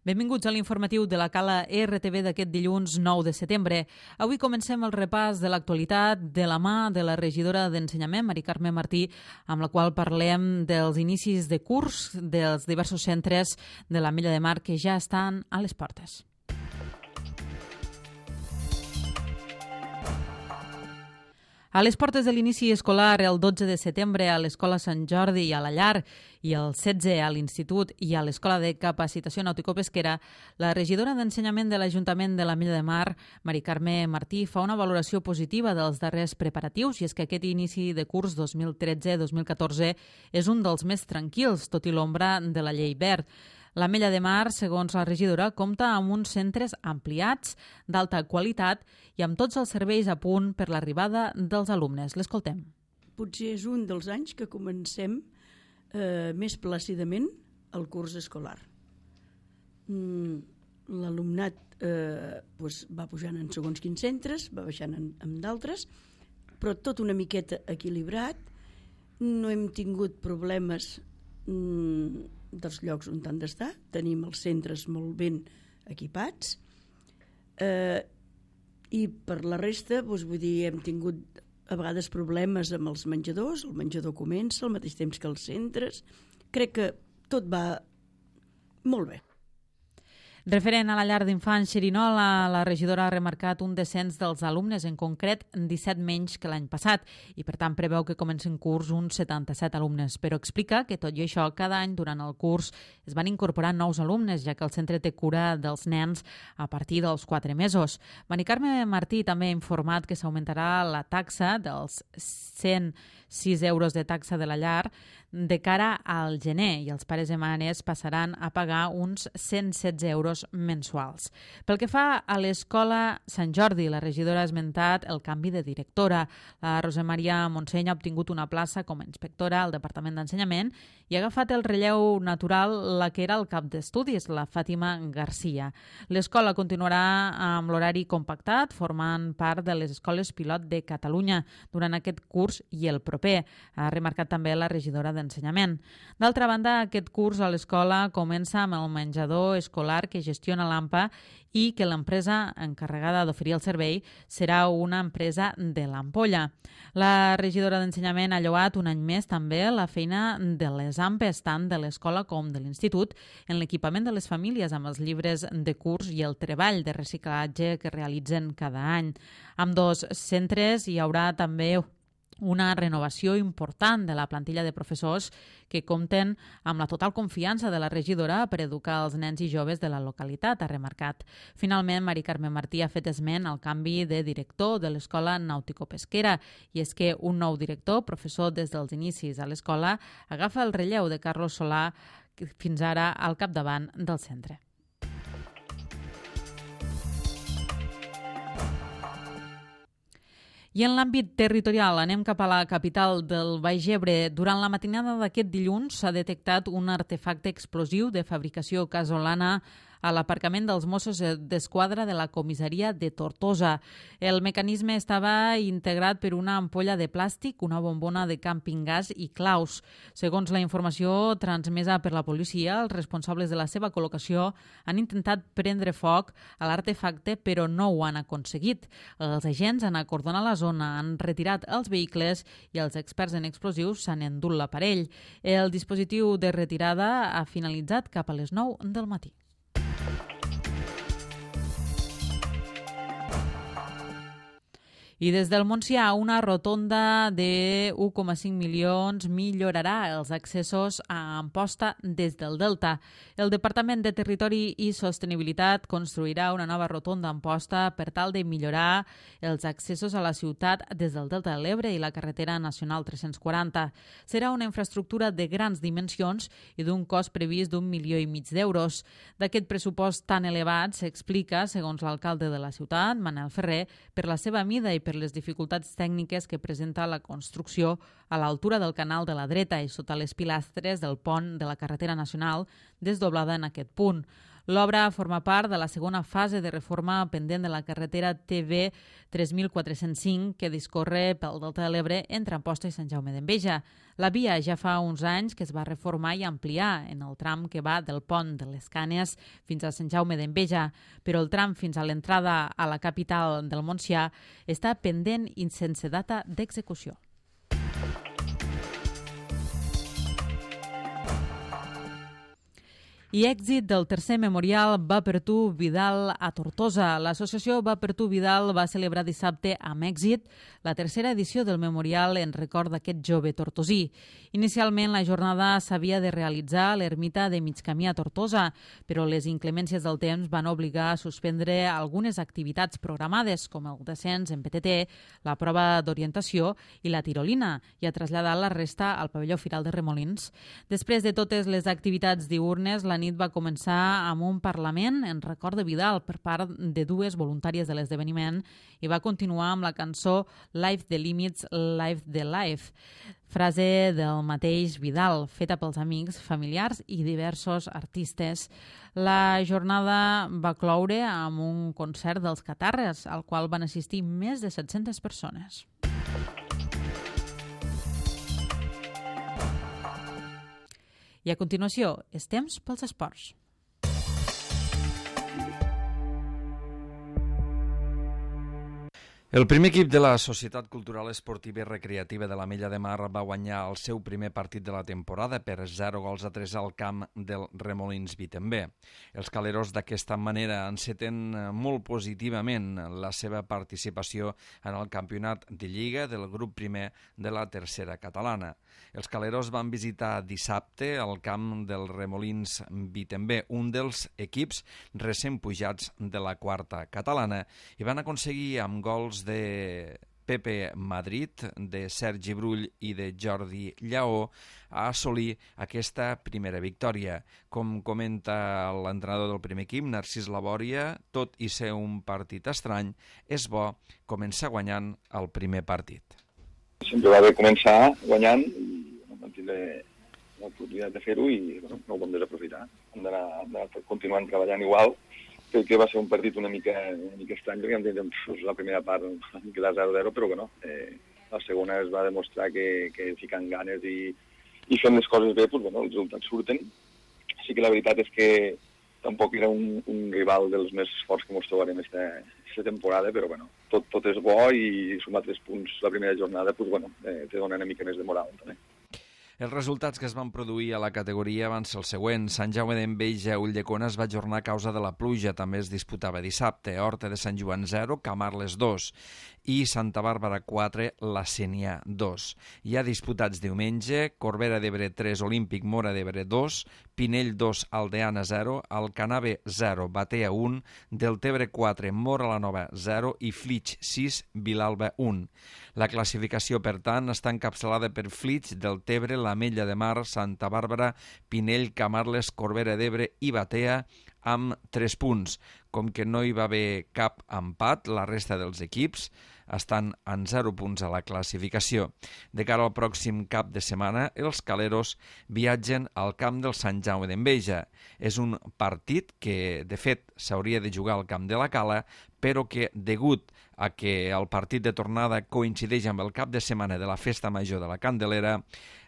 Benvinguts a l'informatiu de la Cala RTV d'aquest dilluns 9 de setembre. Avui comencem el repàs de l'actualitat de la mà de la regidora d'Ensenyament, Mari Carme Martí, amb la qual parlem dels inicis de curs dels diversos centres de l'Ametlla de Mar que ja estan a les portes. A les portes de l'inici escolar, el 12 de setembre a l'Escola Sant Jordi i a la Llar i el 16 a l'Institut i a l'Escola de Capacitació Nàutico-Pesquera, la regidora d'Ensenyament de l'Ajuntament de l'Ametlla de Mar, Mari Carme Martí, fa una valoració positiva dels darrers preparatius, i és que aquest inici de curs 2013-2014 és un dels més tranquils, tot i l'ombra de la llei verd. L'Ametlla de Mar, segons la regidora, compta amb uns centres ampliats, d'alta qualitat i amb tots els serveis a punt per l'arribada dels alumnes. L'escoltem. Potser és un dels anys que comencem més plàcidament el curs escolar. L'alumnat va pujant en segons quins centres, va baixant en d'altres, però tot una miqueta equilibrat. No hem tingut problemes dels llocs on han d'estar, tenim els centres molt ben equipats, i per la resta, vull dir, hem tingut a vegades problemes amb els menjadors, el menjador comença al mateix temps que els centres. Crec que tot va molt bé. Referent a la llar d'infants Xerinola, la regidora ha remarcat un descens dels alumnes, en concret 17 menys que l'any passat, i per tant preveu que comencin curs uns 77 alumnes, però explica que tot i això cada any durant el curs es van incorporar nous alumnes, ja que el centre té cura dels nens a partir dels 4 mesos. Mari Carme Martí també ha informat que s'augmentarà la taxa dels 106 euros de taxa de la llar de cara al gener, i els pares i mares passaran a pagar uns 116 euros mensuals. Pel que fa a l'Escola Sant Jordi, la regidora ha esmentat el canvi de directora. La Rosa Maria Montseny ha obtingut una plaça com a inspectora al Departament d'Ensenyament i ha agafat el relleu natural la que era el cap d'estudis, la Fàtima Garcia. L'escola continuarà amb l'horari compactat, formant part de les escoles pilot de Catalunya durant aquest curs i el proper, ha remarcat també la regidora d'Ensenyament. D'altra banda, aquest curs a l'escola comença amb el menjador escolar que gestiona l'AMPA i que l'empresa encarregada d'oferir el servei serà una empresa de l'Ampolla. La regidora d'Ensenyament ha lloat un any més també la feina de les AMPEs, tant de l'escola com de l'institut, en l'equipament de les famílies amb els llibres de curs i el treball de reciclatge que realitzen cada any. Amb dos centres hi haurà també una renovació important de la plantilla de professors que compten amb la total confiança de la regidora per educar els nens i joves de la localitat, ha remarcat. Finalment, Mari Carme Martí ha fet esment al canvi de director de l'Escola Nàutico-Pesquera, i és que un nou director, professor des dels inicis a l'escola, agafa el relleu de Carlos Solà, fins ara al capdavant del centre. I en l'àmbit territorial, anem cap a la capital del Baix Ebre. Durant la matinada d'aquest dilluns s'ha detectat un artefacte explosiu de fabricació casolana a l'aparcament dels Mossos d'Esquadra de la comissaria de Tortosa. El mecanisme estava integrat per una ampolla de plàstic, una bombona de càmping gas i claus. Segons la informació transmesa per la policia, els responsables de la seva col·locació han intentat prendre foc a l'artefacte, però no ho han aconseguit. Els agents han acordonat la zona, han retirat els vehicles i els experts en explosius s'han endut l'aparell. El dispositiu de retirada ha finalitzat cap a les 9 del matí. I des del Montsià, una rotonda de 1,5 milions millorarà els accessos a Amposta des del Delta. El Departament de Territori i Sostenibilitat construirà una nova rotonda a Amposta per tal de millorar els accessos a la ciutat des del Delta de l'Ebre i la carretera nacional 340. Serà una infraestructura de grans dimensions i d'un cost previst d'1,5 milions d'euros. D'aquest pressupost tan elevat s'explica, segons l'alcalde de la ciutat, Manel Ferrer, per la seva mida i per les dificultats tècniques que presenta la construcció a l'altura del canal de la dreta i sota les pilastres del pont de la carretera nacional desdoblada en aquest punt. L'obra forma part de la segona fase de reforma pendent de la carretera TV 3405 que discorre pel Delta de l'Ebre entre Amposta i Sant Jaume d'Enveja. La via ja fa uns anys que es va reformar i ampliar en el tram que va del pont de les Canes fins a Sant Jaume d'Enveja, però el tram fins a l'entrada a la capital del Montsià està pendent i sense data d'execució. I èxit del tercer memorial Va per tu Vidal a Tortosa. L'associació Va per tu Vidal va celebrar dissabte amb èxit la tercera edició del memorial en record d'aquest jove tortosí. Inicialment la jornada s'havia de realitzar a l'ermita de Migcamí a Tortosa, però les inclemències del temps van obligar a suspendre algunes activitats programades, com el descens en PTT, la prova d'orientació i la tirolina, i a traslladar la resta al pavelló Firal de Remolins. Després de totes les activitats diürnes, la nit va començar amb un parlament en record de Vidal per part de dues voluntàries de l'esdeveniment i va continuar amb la cançó Life the Limits, Life the Life, frase del mateix Vidal, feta pels amics, familiars i diversos artistes. La jornada va cloure amb un concert dels Catarres, al qual van assistir més de 700 persones. I a continuació, és temps pels esports. El primer equip de la Societat Cultural Esportiva i Recreativa de l'Ametlla de Mar va guanyar el seu primer partit de la temporada per 0-3 al camp del Remolins Vitembé. Els caleros d'aquesta manera enceten molt positivament la seva participació en el campionat de Lliga del grup primer de la tercera catalana. Els caleros van visitar dissabte el camp del Remolins Vitembé, un dels equips recent pujats de la quarta catalana, i van aconseguir amb gols de Pepe Madrid, de Sergi Brull i de Jordi Lleó a assolir aquesta primera victòria. Com comenta l'entrenador del primer equip, Narcís Labòria, tot i ser un partit estrany, és bo començar guanyant el primer partit. Sempre va bé començar guanyant i vam tindre l'oportunitat de fer-ho i no ho vam desaprofitar. Hem d'anar continuant treballant igual. Crec que va ser un partit una mica estrany, perquè vam tenir la primera part quedar 0-0, però que no. La segona es va demostrar que ficant ganes i fent les coses bé, doncs, els resultats surten. Sí que la veritat és que tampoc era un rival dels més forts que ens trobarem aquesta temporada, però tot és bo i sumar 3 punts la primera jornada te dona una mica més de moral, també. Els resultats que es van produir a la categoria van ser els següents. Sant Jaume d'Enveja, Ulldecona es va ajornar a causa de la pluja, també es disputava dissabte. Horta de Sant Joan 0, Camarles 2 i Santa Bàrbara 4, La Sénia 2. Hi ha disputats diumenge, Corbera d'Ebre 3, Olímpic Mora d'Ebre 2, Pinell 2, Aldeana 0, Alcanave 0, Batea 1, Deltebre 4, Mora la Nova 0 i Flix 6, Vilalba 1. La classificació, per tant, està encapçalada per Flix, Deltebre, l'Ametlla de Mar, Santa Bàrbara, Pinell, Camarles, Corbera d'Ebre i Batea amb 3 punts. Com que no hi va haver cap empat, la resta dels equips estan en 0 punts a la classificació. De cara al pròxim cap de setmana, els caleros viatgen al camp del Sant Jaume d'Enveja. És un partit que, de fet, s'hauria de jugar al camp de la Cala, però que, degut a que el partit de tornada coincideix amb el cap de setmana de la Festa Major de la Candelera,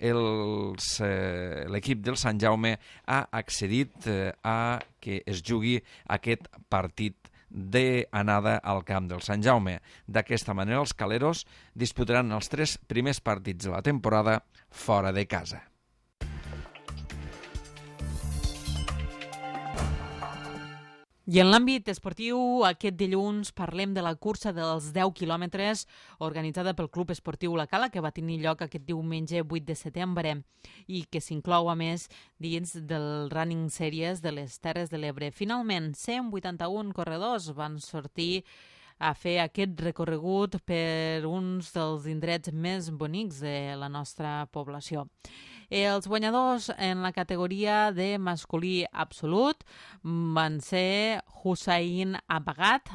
l'equip del Sant Jaume ha accedit a que es jugui aquest partit d'anada al camp del Sant Jaume. D'aquesta manera, els caleros disputaran els 3 primers partits de la temporada fora de casa. I en l'àmbit esportiu, aquest dilluns parlem de la cursa dels 10 quilòmetres organitzada pel Club Esportiu La Cala, que va tenir lloc aquest diumenge 8 de setembre i que s'inclou, a més, dins del Running Series de les Terres de l'Ebre. Finalment, 181 corredors van sortir a fer aquest recorregut per uns dels indrets més bonics de la nostra població. Els guanyadors en la categoria de masculí absolut van ser Hussein Abagat,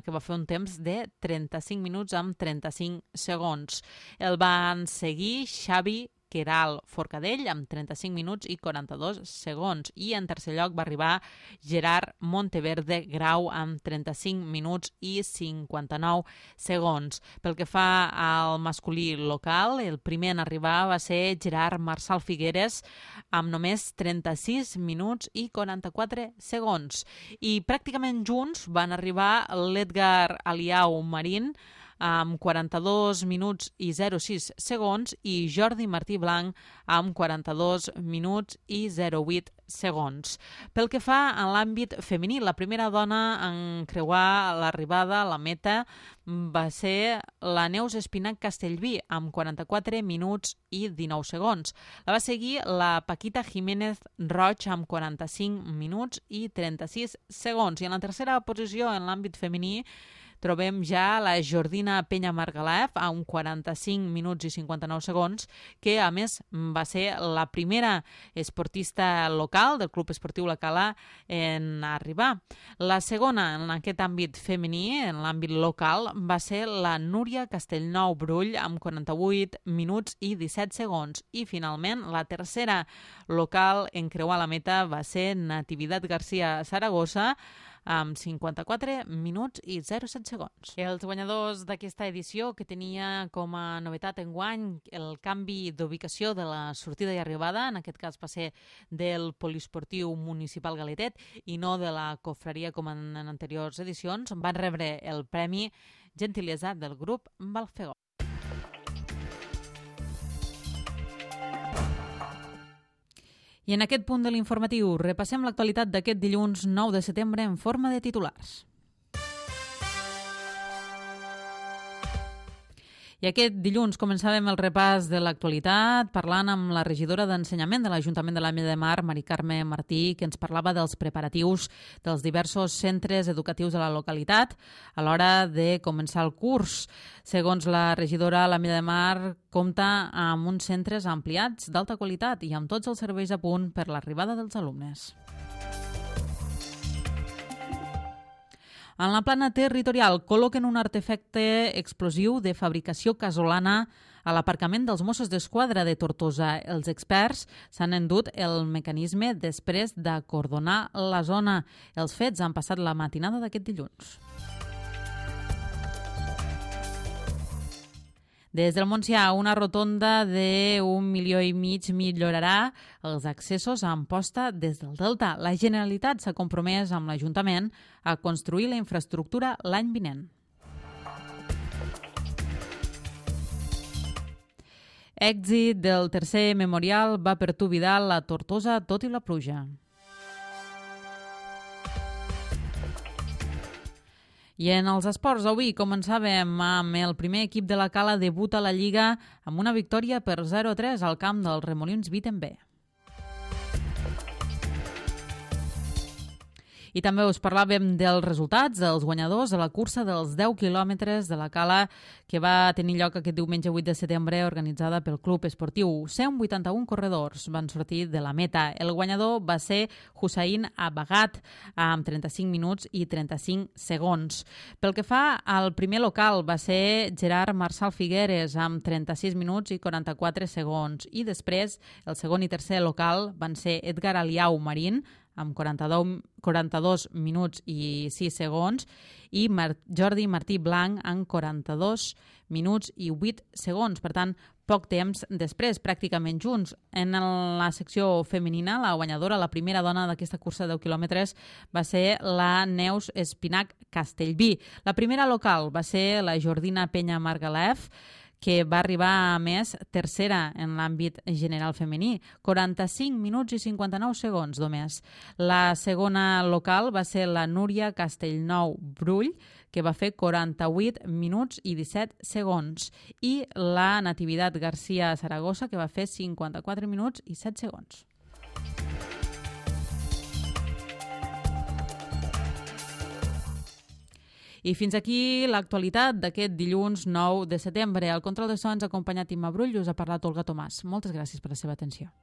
que va fer un temps de 35 minuts amb 35 segons. El van seguir Xavi Queralt Forcadell amb 35 minuts i 42 segons. I en tercer lloc va arribar Gerard Monteverde Grau amb 35 minuts i 59 segons. Pel que fa al masculí local, el primer en arribar va ser Gerard Marçal Figueres amb només 36 minuts i 44 segons. I pràcticament junts van arribar l'Edgar Aliau Marín amb 42 minuts i 06 segons i Jordi Martí Blanc amb 42 minuts i 08 segons. Pel que fa a l'àmbit femení, la primera dona en creuar l'arribada a la meta va ser la Neus Espinac Castellví amb 44 minuts i 19 segons. La va seguir la Paquita Jiménez Roig amb 45 minuts i 36 segons. I en la tercera posició en l'àmbit femení trobem ja la Jordina Penya Margalef amb 45 minuts i 59 segons, que a més va ser la primera esportista local del Club Esportiu La Cala en arribar. La segona en aquest àmbit femení, en l'àmbit local, va ser la Núria Castellnou Brull amb 48 minuts i 17 segons. I finalment, la tercera local en creuar la meta va ser Natividad García Saragossa amb 54 minuts i 07 segons. Els guanyadors d'aquesta edició, que tenia com a novetat enguany el canvi d'ubicació de la sortida i arribada, en aquest cas va ser del Poliesportiu Municipal Galetet i no de la Cofreria com en anteriors edicions, van rebre el premi Gentilesa del grup Balfegó. I en aquest punt de l'informatiu repassem l'actualitat d'aquest dilluns 9 de setembre en forma de titulars. I aquest dilluns començàvem el repàs de l'actualitat parlant amb la regidora d'Ensenyament de l'Ajuntament de l'Ametlla de Mar, Mari Carme Martí, que ens parlava dels preparatius dels diversos centres educatius de la localitat a l'hora de començar el curs. Segons la regidora, l'Ametlla de Mar compta amb uns centres ampliats d'alta qualitat i amb tots els serveis a punt per l'arribada dels alumnes. En la plana territorial col·loquen un artefacte explosiu de fabricació casolana a l'aparcament dels Mossos d'Esquadra de Tortosa. Els experts s'han endut el mecanisme després d'acordonar la zona. Els fets han passat la matinada d'aquest dilluns. Des del Montsià, una rotonda de 1,5 milions millorarà els accessos a Amposta des del Delta. La Generalitat s'ha compromès amb l'Ajuntament a construir la infraestructura l'any vinent. Èxit del tercer memorial Va per tu Vidal a Tortosa, tot i la pluja. I en els esports, avui començàvem amb el primer equip de la Cala debuta a la Lliga amb una victòria per 0-3 al camp dels Remolins Vitenbe. I també us parlàvem dels resultats dels guanyadors a la cursa dels 10 quilòmetres de la Cala que va tenir lloc aquest diumenge 8 de setembre organitzada pel Club Esportiu. 181 corredors van sortir de la meta. El guanyador va ser Hussein Abagat amb 35 minuts i 35 segons. Pel que fa al primer local va ser Gerard Marçal Figueres amb 36 minuts i 44 segons. I després el segon i tercer local van ser Edgar Aliau Marín amb 42 minuts i 6 segons i Jordi Martí Blanc amb 42 minuts i 8 segons. Per tant, poc temps després, pràcticament junts. En la secció femenina, la guanyadora, la primera dona d'aquesta cursa de 10 quilòmetres va ser la Neus Espinac Castellví. La primera local va ser la Jordina Penya Margalef, que va arribar a més tercera en l'àmbit general femení, 45 minuts i 59 segons només. La segona local va ser la Núria Castellnou Brull, que va fer 48 minuts i 17 segons, i la Natividad García Saragossa, que va fer 54 minuts i 7 segons. I fins aquí l'actualitat d'aquest dilluns 9 de setembre. Al control de so ens ha acompanyat Imma Brull i us ha parlat Olga Tomàs. Moltes gràcies per la seva atenció.